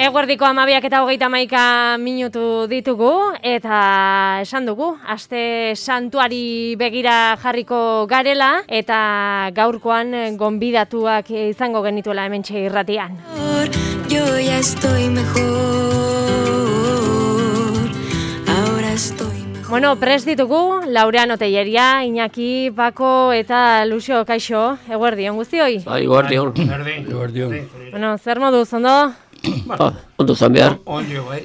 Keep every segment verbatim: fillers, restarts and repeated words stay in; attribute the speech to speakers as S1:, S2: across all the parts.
S1: Eguerdiko amabiak eta hogeita hamaika minutu ditugu, eta esan dugu, aste santuari begira jarriko garela, eta gaurkoan gonbidatuak izango genituela hementxe irratian.
S2: Yo ya estoy mejor, ahora estoy mejor.
S1: Bueno, prest ditugu, Laureano Telleria, Iñaki, Pako eta Luxo, kaixo, eguerdion guztioi?
S3: Bai, eguerdion.
S4: Eguerdion.
S1: Bueno, zer moduz, ondo?
S3: Ah, ondo zan behar.
S4: Ondio, bai.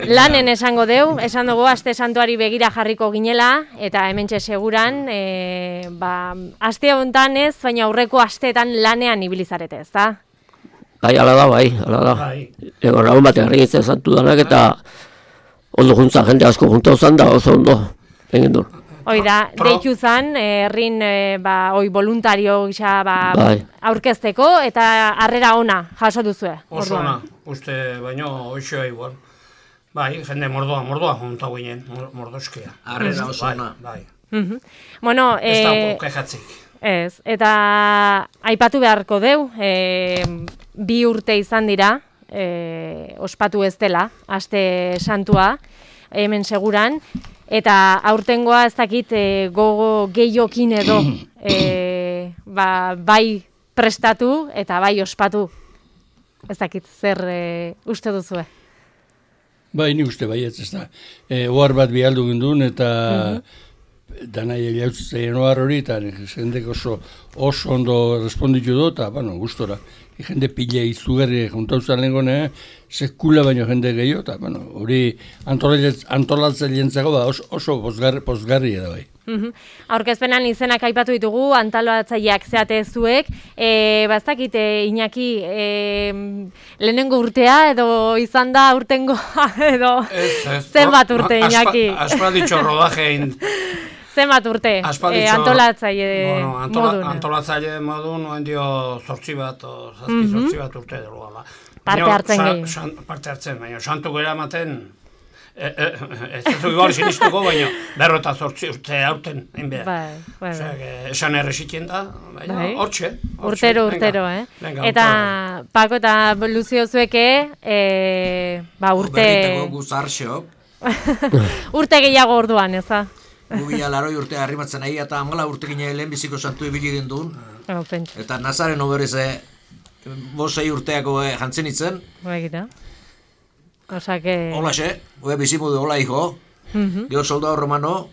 S1: Lanen esango deu, esan dugu aste santuari begira jarriko ginela, eta hementxe seguran, e, ba, aste honetan ez, baina aurreko asteetan lanean ibilizarete, ez da?
S3: Bai, ala da, bai, ala da.
S4: Bai.
S3: Ego, raun bat erregitzen santu danak eta ondo juntza, jende asko juntau zan da, oso ondo, egin du.
S1: Hoi da, deitu zan, herrin, e, ba, oi, voluntario gisa, ba,
S3: Bai.
S1: aurkezteko, eta harrera ona jaso duzue.
S4: Oso
S1: orduan.
S4: ona, uste baino hoxoa igual. Bai, jende mordoa, mordoa junta guinen, mordoskia.
S5: Harrera oso ona.
S4: Bai,
S1: Mhm. Bueno,
S4: ez
S1: e,
S4: dago kexatzik.
S1: ez, eta aipatu beharko deu, e, bi urte izan dira, e, ospatu ez dela, aste santua, hemen seguran, eta aurtengoa ez dakit e, gogo gehiokin edo e, ba, bai prestatu eta bai ospatu. Ez dakit zer e, uste duzue.
S6: Bai, ni uste baietz, ez da. E, ohar bat bialdu gindun eta danai eliautzen ohar hori, eta jendek oso, oso ondo responditu du, eta, bueno, gustora. Jende pile izugarri juntauzan lehengone, sekula baino jende gehiago, eta, bueno, hori antolatzen lientzago ba, oso, oso pozgarri, pozgarri da bai.
S1: Mhm. Aurkezpenan izenak aipatu ditugu, antolatzaileak zeate zuek, e, baztakit, e, Iñaki, e, lehenengo urtea edo izan da urtengo edo zenbat urte, Iñaki?
S4: Aspalditxo rodajein.
S1: Zenbat urte, e, antolatzaile
S4: bueno, antola,
S1: modun.
S4: Antolatzaile modun, noen dio zortzi bat, o zazpi zortzi bat urte delo gala.
S1: Parte hartzen gehi.
S4: Parte hartzen, baina santu gara ematen, e, e, ez dut igual sinistuko, baina berro eta zortzi urte hauten, hain behar.
S1: Bai, bai, bai.
S4: Osea, esan erresitien da, baina
S1: Bai.
S4: hortxe.
S1: Urtero, urtero, eh?
S4: Venga,
S1: eta Pako eta Luzio zueke, e, ba urte...
S5: Berriteko guzarxok.
S1: urte gehiago orduan, ez da?
S5: Gubila laroi urte harrimatzen ahi eta amala urte gine lehenbiziko santu ibili dindun.
S1: Oh, pentsa.
S5: Eta Nazaren oberize bosei urteako eh, jantzen itzen.
S1: Baikita. Osa que...
S5: Hola xe, oe bizimudu hola hijo.
S1: Mhm.
S5: Gero soldado romano.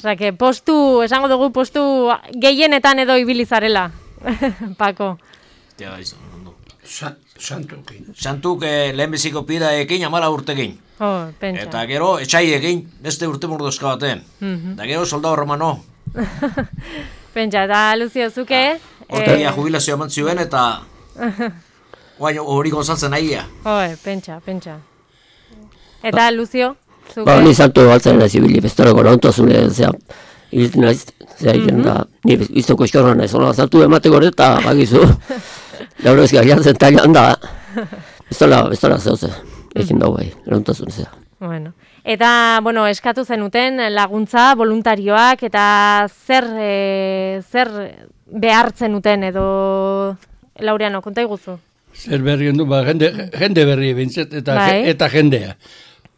S1: Osa que postu, esango dugu postu gehienetan edo ibilizarela. Pako.
S5: Ja, izan, ondo.
S4: Sa, santukin.
S5: Santuk eh, lehenbiziko pida ekin amala urte egin.
S1: Oh, pentsa.
S5: Eta gero etxai egin beste urte mordozka baten.
S1: Mhm.
S5: Eta gero soldado romano.
S1: Pentsa, eta Luzio zuke...
S5: Hortegia jubilazioa eman zioen eta... Guain hori gozatzen nahia.
S1: Joe, pentsa, pentsa. Eta Luzio, zuke...
S3: Ba, ni santu baltzen nahi zibili, bestorako laguntazune, zera, hilten nahiz, zera, egiten da, ni biztoko eskorra nahiz, hola, santu emateko hori eta bakizu, lauro ezkia jantzen talian da, bestola, bestola zehose, egin dago bai, laguntazune zera.
S1: Bueno. Eta, bueno, eskatu zenuten laguntza, voluntarioak, eta zer, e, zer behartzen uten edo, Laureano, konta iguzu?
S6: Zer berri gendu, ba, jende, jende berri bintzet, eta,
S1: Bai.
S6: eta jendea.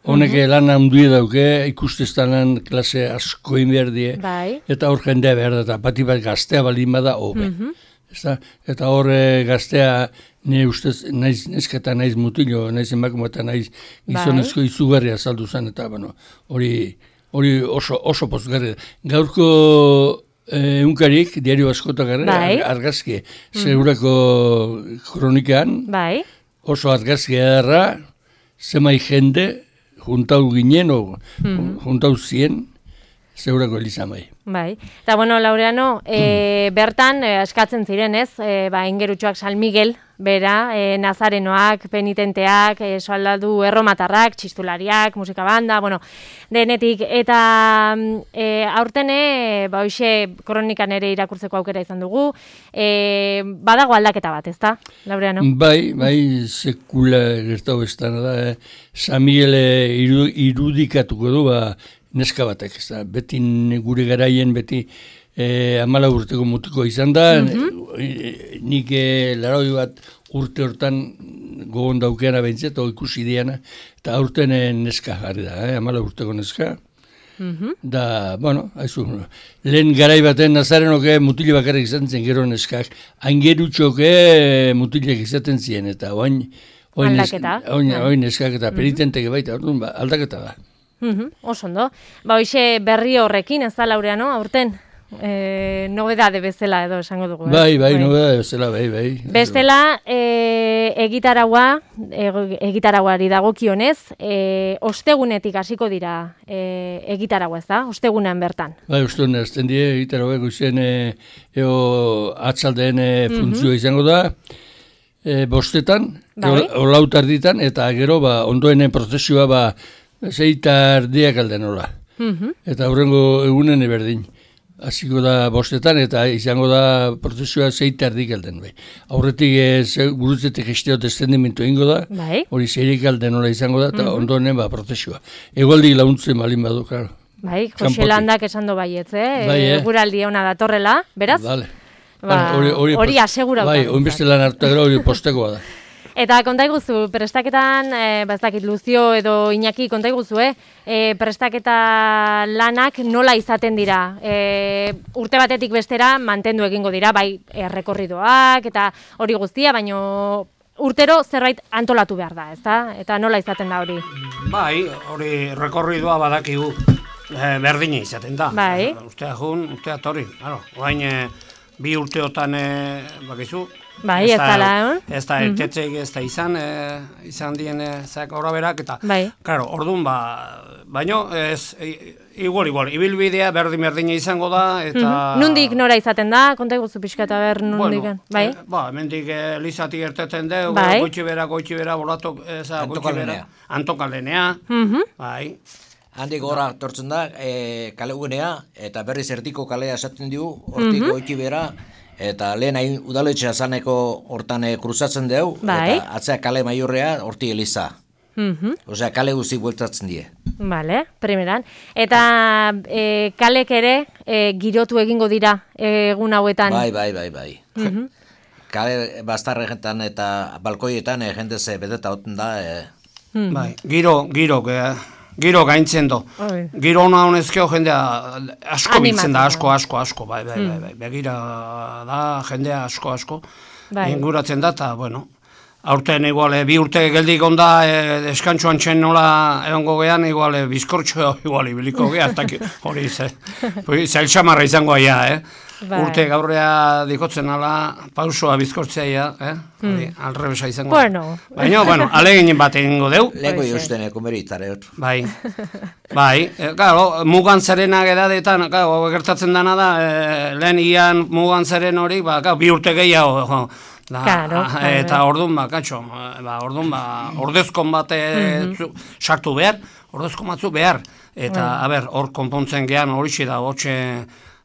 S6: Honek lan handia dauke, ikustestanan klase asko inberdie,
S1: Bai.
S6: eta hor jendea behar da, eta bati bat gaztea balin bada, hobe. Ezta? Eta hor eh, gaztea, nire ustez, naiz nesketa, naiz mutilo, naiz emakume eta naiz gizonezko izugarri azaldu zen, eta bueno, hori, hori oso, oso pozgarri. Gaurko eh, unkarik, diario askotak
S1: Bai.
S6: argazki, segurako kronikean,
S1: Bai.
S6: oso argazki edarra, zemai jende, juntau ginen, o juntau zien, segurako elizamai.
S1: Bai. Eta, bueno, Laureano, e, bertan, e, eskatzen ziren, ez, e, ba, ingerutxoak San Miguel, bera, e, nazarenoak, penitenteak, e, soldadu erromatarrak, txistulariak, musika banda, bueno, denetik, eta e, aurtene, ba, hoxe, kronikan ere irakurtzeko aukera izan dugu, e, badago aldaketa bat, ez da, Laureano?
S6: Bai, bai, sekula gertau estana da, eh? San Miguel iru, irudikatuko du, ba, neska batek, ez da, beti gure garaien, beti eh, amala urteko mutiko izan da, mm-hmm. nik eh, laroi bat urte hortan gogon daukeana behintzet, o ikusi diana, eta aurten neska jarri da, eh? Amala urteko neska. Mm-hmm. Da, bueno, haizu, lehen garai baten Nazarenoke mutile bakarrik izaten zen gero neskak, aingerutxoke mutilek izaten ziren, eta oain, oain,
S1: aldaketa.
S6: Oain, oain neskak eta penitenteke baita, orduan, ba, aldaketa da.
S1: Mm-hmm. Oso ondo. Ba, hoxe berri horrekin, ez da, Laureano, aurten? E, nobedade bezala edo esango dugu.
S6: Bai, bai, bai, nobedade bezala, bai, bai.
S1: Bestela, e, egitaragua, e, egitarauari dagokionez, e, ostegunetik hasiko dira e, egitaragua, ez da? Ostegunean bertan.
S6: Bai, ostegunean, azten die, egitaragua goizen e, eo atzaldeen e, funtzioa mm-hmm. izango da, e, bostetan, bai. Olautarditan, eta gero, ba, ondoenen prozesioa, ba, zeitardiak alden hola. Mm-hmm. Eta hurrengo egunen eberdin. Hasiko da bostetan eta izango da prozesioa zeita erdik alden. Bai. Aurretik e, gurutzetek gestiot estendimentu egingo da, bai. Hori zeirik alden nola izango da, eta mm-hmm. ondoren ba, prozesioa. Egoaldik launtzen balin badu, klar.
S1: Bai, Jose Landak esan do baietz, eh? Bai, eh? Eguraldi ona datorrela, beraz?
S6: Vale.
S1: Ba, hori asegura.
S6: Bai, oinbeste lan hartu gero hori postekoa da.
S1: Eta kontaiguzu, prestaketan, e, baztakit Luzio edo Iñaki, kontaiguzu, eh? E, prestaketa lanak nola izaten dira? E, urte batetik bestera mantendu egingo dira, bai errekorridoak eta hori guztia, baino urtero zerbait antolatu behar da, ezta? Eta nola izaten da hori?
S4: Bai, hori rekorridoa badakigu e, berdina izaten da.
S1: Bai.
S4: Ustea jun, ustea torri, claro. Oain e, bi urteotan e, bakizu,
S1: bai, ez dala, egon?
S4: Ez da, etetzeik ez da izan, e, izan dien zak horra berak, eta,
S1: bai.
S4: Claro, orduan, ba, baino, ez, e, igual, igual, ibilbidea berdin-berdina izango da, eta...
S1: Mm-hmm. Nundik nora izaten da, konta iguzu pixka eta ber nundik,
S4: bueno,
S1: bai?
S4: E, ba, mendik e, lizatik erteten deu,
S1: bai.
S4: goitxi bera, goitxi bera, bolatok, eza, goitxi bera, antokalenea,
S1: mm-hmm.
S4: bai.
S5: Handik gora tortzen da, e, kale ugenea, eta berriz erdiko kalea esaten diu, hortik mm-hmm. goitxi bera, eta lehen hain udaletxea zaneko hortan e, kruzatzen dugu,
S1: bai.
S5: Eta atzea kale maiorrea horti eliza. Mm-hmm. Osea, kale guzi bueltatzen die.
S1: Vale, primeran. Eta e, kalek ere e, girotu egingo dira e, egun hauetan.
S5: Bai, bai, bai, bai. Mm-hmm. Kale bastarretan eta balkoietan e, jende ze beteta hoten da. E...
S4: Mm-hmm. Bai, giro, giro, ge, giro gaintzen do. Oi. Giro hona honezkeo jendea asko biltzen da, asko, asko, asko, bai, bai, bai, bai. Begira da, jendea asko, asko, bai. Inguratzen da, eta, bueno, aurten igual, bi urte geldik onda, e, eskantxoan txen nola egongo gean, igual, bizkortxo, igual, ibiliko gea, hori, ze, zail xamarra izango aia, eh? Bai. Urte gaurrea dikotzen ala, pausoa bizkortzea, eh? Hori, mm. alrebesa izango.
S1: Bueno.
S4: Baina, bueno, alegin bat egingo deu.
S5: Lego jozten ekomeritare.
S4: Bai, bai, e, claro, mugan zerenak edadetan, claro, gertatzen dana da, e, lehen ian mugan zeren hori, ba, claro, bi urte gehiago, jo, da,
S1: claro,
S4: eta claro. Orduan, ba, katxo, ba, orduan, ba, ordezkon bat mm-hmm. sartu behar, ordezkon batzu behar, eta, mm. a ber, hor konpontzen gehan hori da, hotxe,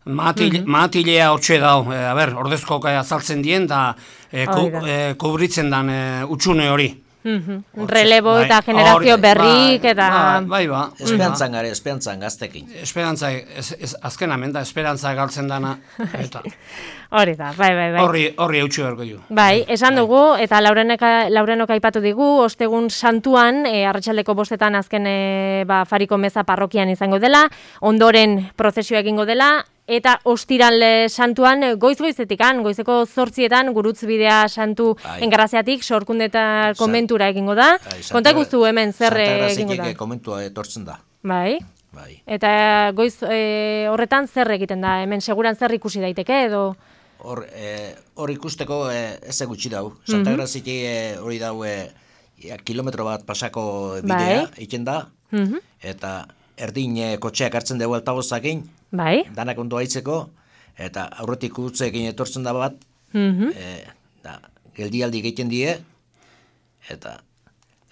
S4: Matil, mm-hmm. Matilea hortxe dau, e, a ber, ordezko azaltzen dien, da e, ku, e, kubritzen dan e, utxune hori.
S1: Mm-hmm. Relebo bai, eta generazio or, berrik
S4: bai,
S1: eta...
S4: Bai, ba.
S5: Esperantzan gare, esperantzan gaztekin.
S4: Esperantza, ez, ez, azken amen da, esperantza galtzen dana. Eta.
S1: Hori da, bai, bai, bai.
S4: Horri, horri eutxu berko du.
S1: Bai, esan bai. Dugu, eta Laurenok aipatu digu, ostegun santuan, e, arratsaldeko bostetan azken e, ba, Fariko Meza parrokian izango dela, ondoren prozesioa egingo dela, eta ostiral santuan goiz-goizetikan, goizeko zortzietan, gurutzbidea santu bai. Engarraziatik, sorkunde eta komentura egingo da. Bai, konta guztu hemen zer egingo da.
S5: Komentua etortzen da.
S1: Bai. Bai. Eta goiz e, horretan zer egiten da, hemen seguran zer ikusi daiteke edo...
S5: Hor, e, hor ikusteko e, ez gutxi dau. Santa Graziki e, hori dau e, kilometro bat pasako bidea, bai. Iken da, mm-hmm. eta erdin e, kotxeak hartzen dugu altabozakin, bai. Danak ondo haitzeko, eta aurretik utzeekin etortzen da bat, mm-hmm. e, da, geldialdi egiten die, eta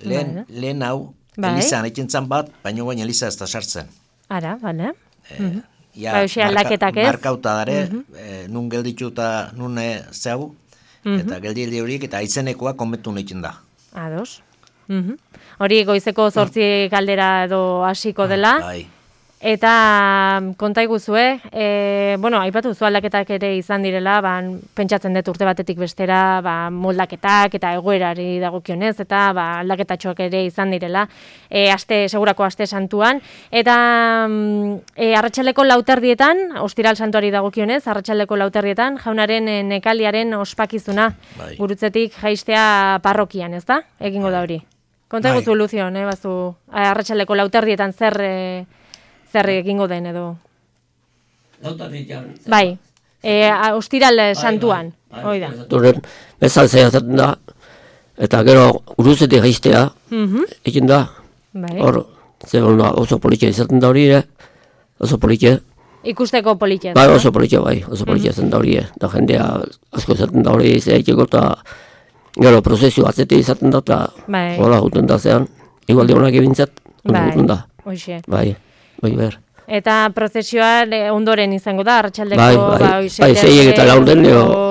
S5: lehen, bai. Lehen hau, bai. Elizan egiten zan bat, baina baina Eliza ez da sartzen.
S1: Ara, bale.
S5: E, mm-hmm. Ja, marka, markauta dare, mm-hmm. e, nun gelditu eta nun e, zeu, mm-hmm. eta geldialdi horiek, eta aizenekoa konbentu egiten da.
S1: Ados. Mm-hmm. Hori goizeko zortzi galdera edo hasiko dela.
S5: Bai.
S1: Eta konta iguzue, e, bueno, aipatu zu aldaketak ere izan direla, ba, pentsatzen dut urte batetik bestera, ba, moldaketak eta egoerari dagokionez, eta ba, aldaketatxoak ere izan direla, e, aste, segurako aste santuan, eta e, arratsaldeko lauterdietan, ostiral santuari dagokionez, arratsaldeko lauterdietan, jaunaren e, nekaliaren ospakizuna, bai. Gurutzetik jaistea parrokian, ez da? Egingo da hori. Konta iguzu, bai. Luzion, eh, bazu, arratsaldeko lauterdietan zer... E, zer egingo den edo. Bai, e, ostiral santuan, hoi da.
S3: Duren, bezal zehatzen da, eta gero guruzetik jaistea, egin da, hor, ze oso politia izaten da hori, oso politia.
S1: Ikusteko politia.
S3: Bai, oso politia, bai, oso politia izaten da hori, eta jendea asko izaten da hori, ze egiteko, eta gero prozesio atzeti izaten da, eta hola juten da zean, igualde honak ebintzat, juten da.
S1: Hoxe.
S3: Bai. Bai, ber.
S1: Eta prozesioa ondoren izango da, arratsaldeko
S3: bai, bai,
S1: ba,
S3: bai, zeiek eta laurden,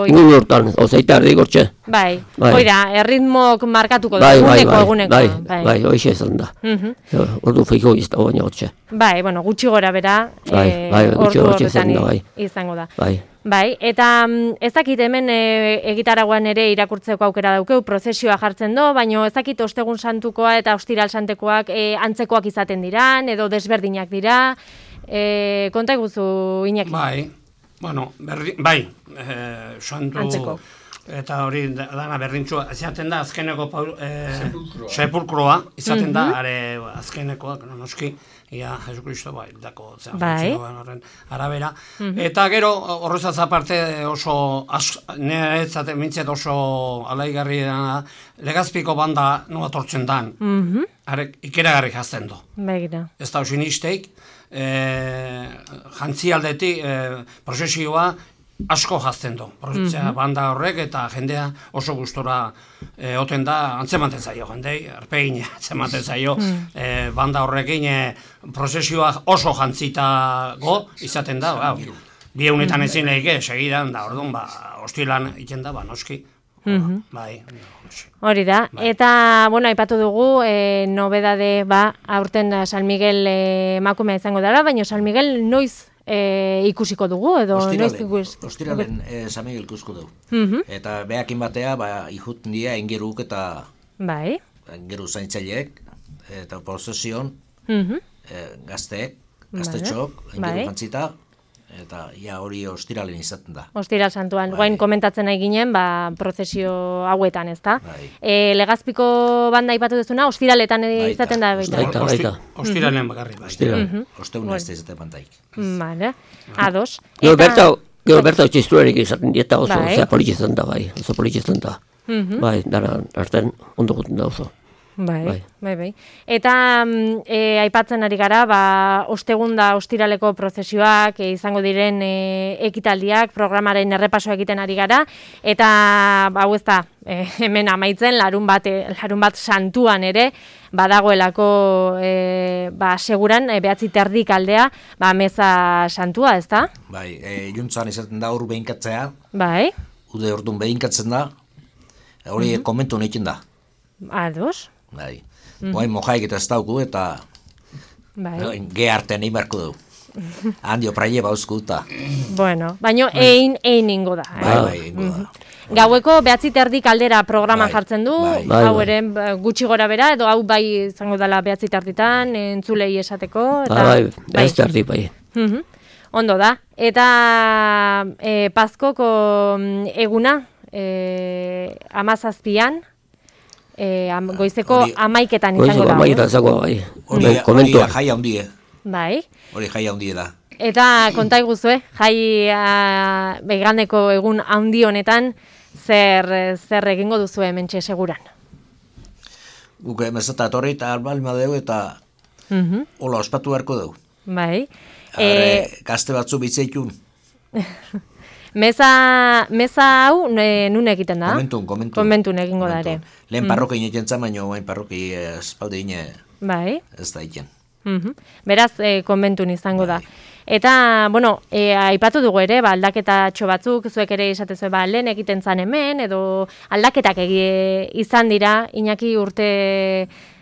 S3: ingun hortan, ozeita erdi gortxe.
S1: Bai, bai. Oida, erritmok markatuko
S3: bai,
S1: da,
S3: bai,
S1: eguneko,
S3: bai,
S1: eguneko.
S3: Bai, bai, bai, hoxe esan da. Ordu feiko izta baina hortxe.
S1: Bai, bueno, gutxi gora bera,
S3: bai,
S1: e,
S3: bai,
S1: ordu horretan
S3: da, bai.
S1: izango da.
S3: Bai.
S1: Bai, eta ez dakit hemen e, egitaragoan ere irakurtzeko aukera daukeu, prozesioa jartzen do, baina ez dakit ostegun santukoa eta ostiral santekoak e, antzekoak izaten diran, edo desberdinak dira, e, konta iguzu, Iñaki.
S4: Bai, bueno, berri, bai, e, santu...
S1: Antzeko.
S4: Eta hori dana berdintxua, izaten da azkeneko e, sepulkroa, izaten da, are azkenekoak, noski, ia Jesukristo bai, dako horren arabera. Eta gero, horrezaz aparte oso, niretzat mintzet oso alaigarri dena, Legazpiko banda noa tortzen dan, ikeragarri jazten do. Ez da hoxin izteik, jantzi aldetik, prozesioa, asko jazten du, mm-hmm. banda horrek eta jendea oso gustora e, oten da, antzematen zaio jendei, arpegin antzematen zaio, mm. e, banda horrekin e, prozesioa oso jantzitago izaten da, ba, bi egunetan ezin lehike, segidan da, orduan, ba, hostilan iten da, ba, noski. Mm-hmm. Bai.
S1: Hori da, bai. Eta, bueno, aipatu dugu, e, nobedade, ba, aurten San Miguel emakumea izango dela, baina San Miguel noiz E, ikusiko dugu, edo noiz ikus?
S5: Ostiralen e, San Miguel ikusko dugu.
S1: Mm-hmm.
S5: Eta behakin batea, ba, ihuten dira ingeruk eta
S1: bai.
S5: Ingeru zaintzaileek, eta prozesion,
S1: mm-hmm.
S5: e, gazteek, gaztetxok, bai. Ingeru jantzita, eta ja hori ostiralen izaten da.
S1: Ostiral santuan, bai. Guain komentatzen nahi ginen, ba, prozesio hauetan, ez da?
S5: Bai.
S1: E, Legazpiko banda ipatu duzuna, ostiraletan baita. Izaten da baita.
S3: Baita, baita.
S4: Ostiralen mm-hmm. bakarri, baita.
S1: Mm-hmm.
S5: Osteun ez da izaten bantaik.
S1: Vale, ados.
S3: Gero berta, gero berta txistuarik izaten dieta oso, bai. Zea politxetan da, bai, oso politxetan da. Mm-hmm. Bai, dara, arten, ondo guten da oso.
S1: Bai, bai, bai, bai. Eta e, aipatzen ari gara, ba, ostegunda ostiraleko prozesioak e, izango diren e, ekitaldiak, programaren errepaso egiten ari gara, eta ba, hau ez da, e, hemen amaitzen, larun bat, e, larun bat santuan ere, badagoelako e, ba, seguran, e, behatzi terdik aldea, ba, meza santua, ez da?
S5: Bai, e, juntzan izaten da hor behinkatzea,
S1: bai.
S5: Ude orduan behinkatzen da, hori mm-hmm. komentu nekin da.
S1: Ados.
S5: Bai, mm-hmm. Boain mojaik eta ez dauku eta bai. Ge artean egin beharko dugu. Handio praie bauzku eta.
S1: Bueno, baino ein, ein ingo da.
S5: Bai, eh? bai, ingo da.
S1: Gaueko behatzi terdik aldera programan
S5: bai.
S1: Jartzen du,
S5: bai.
S1: hau ere gutxi gora bera, edo hau bai izango dela behatzi terditan, entzulei esateko. Eta,
S3: bai, bai, ez terdi bai.
S1: Mm-hmm. Ondo da. Eta e, Pazkoko eguna, e, amazazpian, E, am, goizeko hori, amaiketan izango da.
S3: Amaiketan izango da, bai.
S5: Hori, hori jai handie.
S1: Bai.
S5: Hori jai handie da.
S1: Eta konta iguzue, jai begandeko egun handi honetan, zer, zer egingo duzu hementxe seguran?
S5: Guk emezata etorri eta albalma dugu eta mm-hmm. hola ospatu beharko dugu.
S1: Bai.
S5: E, gazte batzu bitzeikun.
S1: Meza, meza hau nun egiten da?
S5: Komentun, komentun.
S1: Komentun egingo da ere.
S5: Lehen mm. parroki egiten zan, baina bain parroki espalde ine
S1: bai.
S5: Ez da egiten.
S1: Mm-hmm. Beraz, e, komentun izango
S5: bai.
S1: Da. Eta, bueno, e, aipatu dugu ere, ba, aldaketatxo batzuk, zuek ere esatezue, ba, lehen egiten zan hemen, edo aldaketak egi izan dira, Iñaki urte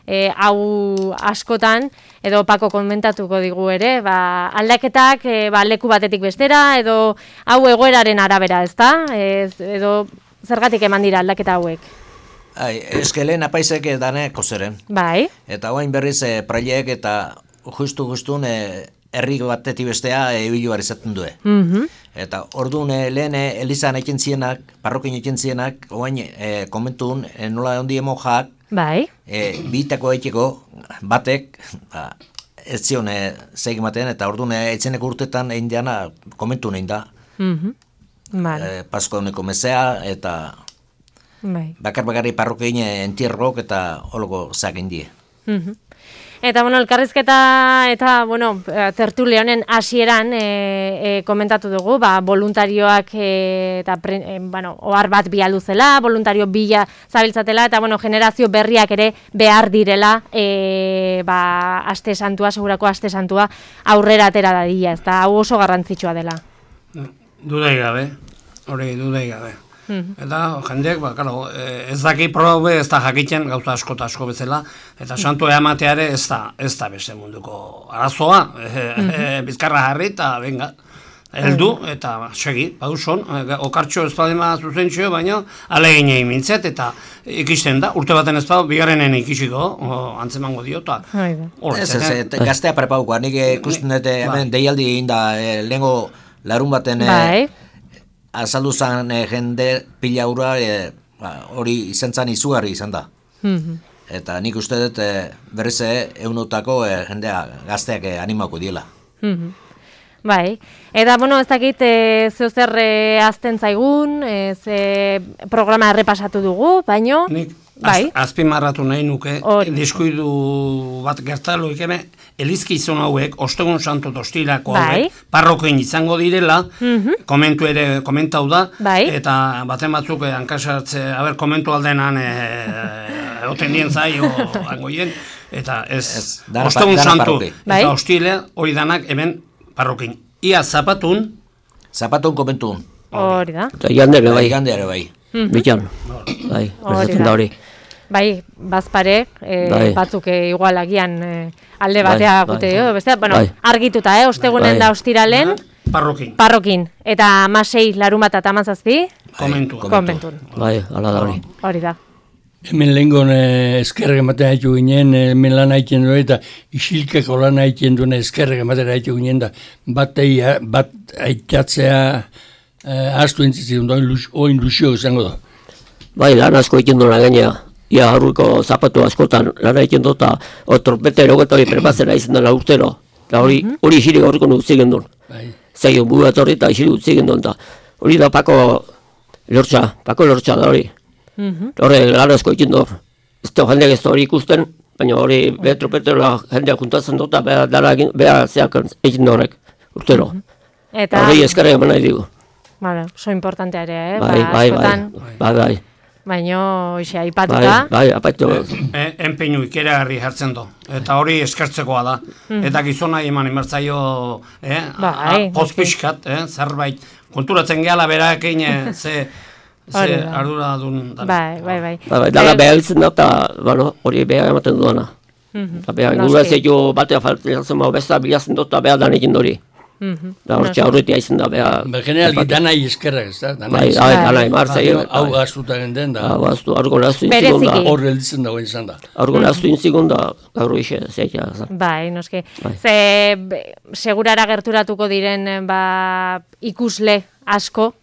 S1: e, hau askotan, edo Pako komentatuko digu ere, ba, aldaketak e, ba, leku batetik bestera, edo hau egoeraren arabera, ezta? Ez, edo zergatik eman dira aldaketa hauek?
S5: Ai, eske lehen apaizek daneko zeren.
S1: Bai.
S5: Eta oain berriz e, prailek eta justu-justun e, herri batetik bestea ebilu behar izaten du.
S1: Mhm.
S5: Eta orduan e, lehen e, elizan egin zienak, parrokin egin zienak, oain e, komentun e, nola ondi emojak,
S1: bai.
S5: E, bitako egiteko batek, ba, ez zion e, zeik ematen, eta orduan e, etzeneko urtetan egin diana komentu egin da.
S1: Mhm. Vale.
S5: E, Pasko honeko mezea, eta
S1: bai.
S5: bakar-bakarri parrokein entierrok eta holgo zakin die.
S1: Mhm. Eta, bueno, elkarrizketa eta, bueno, tertulia honen hasieran e, e, komentatu dugu, ba, voluntarioak e, eta, pre, e, bueno, ohar bat bialdu zela, voluntario bila zabiltzatela, eta, bueno, generazio berriak ere behar direla, e, ba, aste santua, segurako aste santua, aurrera atera dadila, ez da, hau oso garrantzitsua dela.
S4: Dudai gabe, hori dudai gabe. Eta jendeak, ba, claro, ez daki probe ez da jakitzen gauza asko eta asko bezala, eta santu emateare ez da, ez da beste munduko arazoa, e, e, bizkarra jarri eta benga, heldu eta segi, baduzon, okartxo ez badema zuzentxo, baina aleginei mintzet eta ikisten da, urte baten ez badu, bigarrenen ikisiko, o, antzemango diota.
S5: Ez, ez, ez, gaztea prepaukoa, nik ikusten dut hemen deialdi egin da, e, lehengo larun baten
S1: bai.
S5: azaldu zen e, jende pila ura hori e, izan zen izugarri izan da.
S1: Mm-hmm.
S5: Eta nik uste dut e, berriz eunotako e, jendea gazteak e, animako diela.
S1: Mm-hmm. Bai, eta, bueno, ez dakit e, zeo zer e, azten zaigun, e, ze programa errepasatu dugu, baino...
S4: Nik
S1: bai.
S4: az, azpimarratu nahi nuke, diskuidu bat gertaloik eme, elizkizun hauek, ostegun santu tostilako hauek, bai. Parrokoin izango direla, mm-hmm. komentu ere komentau da,
S1: bai.
S4: Eta baten batzuk eh, hankasartze, haber, komentu aldenan eh, oten dien zai, o angoien, eta ez, ez dana, ostegun dana santu, parroki. Eta bai. Hostile hori danak hemen parrokin. Ia zapatun,
S5: zapatun komentun.
S1: Hori da.
S3: Eta jandere bai.
S5: Jandere bai.
S3: Mm-hmm. Bitan, bai, berzatzen da hori.
S1: Bai, bazpare, e, bai. Batzuk e, igual agian e, alde batea bai, gute, bai. Beste, bueno, bai. Argituta, eh, ostegunen bai. Da ostiralen.
S4: Parrokin.
S1: Parrokin. Eta amasei larun bat eta amazazpi.
S4: Komentu.
S1: Komentun.
S3: Bai, ala da hori.
S1: Hori da.
S6: Hemen lehengon eh, eskerrek ematen haitu ginen, eh, hemen lan haiten duen, eta isilkeko lan haiten duen eskerrek ematen haitu ginen, da bat, eia, bat aitatzea eh, astu entzitzen duen, oin lusio izango da.
S3: Bai, lan asko egin duen gainea. Ia harruko zapatu askotan lan egiten dut, eta trompeta erogeta hori prepazera izan dela urtero. Eta hori mm -hmm. isirik horriko nu utzi gendun.
S6: Bai.
S3: Zaion buga etorri eta isirik utzi gendun. Hori da Pako lortza, Pako lortza da hori. Mm -hmm. Horre lan asko egiten dut. Ez da jendeak ez da hori ikusten, baina hori okay. Be trompetera jendeak juntatzen dut, eta beha zeak egiten horrek urtero. Mm -hmm. Eta hori eskerrek eman nahi digu.
S1: Vale, oso importantea ere, eh?
S3: Bai, ba, bai, bai, bai, bai.
S1: Baina, hoxe, aipatuta.
S3: Bai, bai, aipatu.
S4: E, enpeinu ikeragarri jartzen do. Eta hori eskertzekoa da. Mm. Eta gizona eman emertzaio, eh?
S1: Bai,
S4: pozpiskat, eh? Zerbait. Konturatzen gehala berakein, eh? ze, ze ardura dun.
S1: Bai, bai, bai.
S3: Bai, bai, dala behar ditzen da, eta, bueno, hori behar ematen duena. Eta behar, gure zeio batea faltzen mao besta bilazen dut, eta behar dan egin dori. Da hortxe aurretia izan da, beha...
S6: Ba, generalki danai eskerrak, ez da?
S3: Bai, danai, marzai.
S6: Hau gaztuta genden da.
S3: Hau gaztu, aurko nahaztu inzigun da.
S6: Horre elditzen dago izan da.
S3: Aurko nahaztu inzigun da, gaur ixe, zeitea.
S1: Bai, noski. Ze, segurara gerturatuko diren, ba, ikusle asko,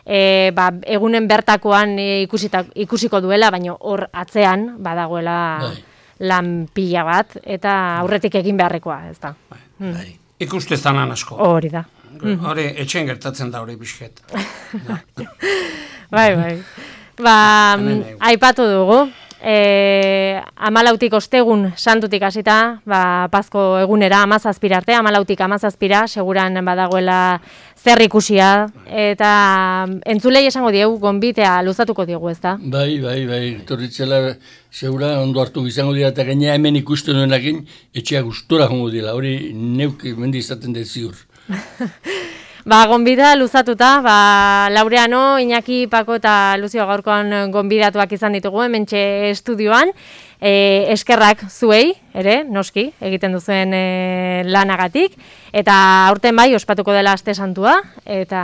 S1: e, ba, egunen bertakoan e, ikusita, ikusiko duela, baina hor atzean, badagoela bai. Lan pila bat, eta aurretik egin beharrekoa, ez da.
S4: Bai, bai. Ikuste zanan asko.
S1: Hori da.
S4: Hori, etxen gertatzen da hori bisket.
S1: Bai, bai. Ba, aipatu dugu. E, amalautik ostegun santutik hasita, ba, Pazko egunera amazazpira arte, amalautik amazazpira, seguran badagoela zer ikusia, eta entzulei esango diegu, gonbitea luzatuko diegu, ez da?
S6: Bai, bai, bai, torritzela segura ondo hartu izango dira, eta gaina hemen ikusten duenakin, etxea gustora jongo dira, hori neuk mendi izaten dut ziur.
S1: Ba, gonbida luzatuta, ba, Laureano, Iñaki, Pako eta Luzio gaurkoan gonbidatuak izan ditugu, hementxe estudioan. E, eskerrak zuei, ere, noski, egiten duzuen e, lanagatik. Eta aurten bai, ospatuko dela aste santua, eta,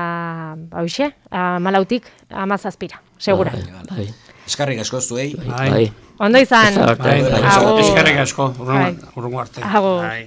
S1: hauxe, amalautik amazazpira, segura.
S3: Bai, bai.
S5: Eskarrik asko zuei.
S4: Bai.
S1: Ondo izan.
S3: Bai.
S1: Agur.
S4: Eskerrik asko, urrungo arte.
S1: Agur.
S4: Bai.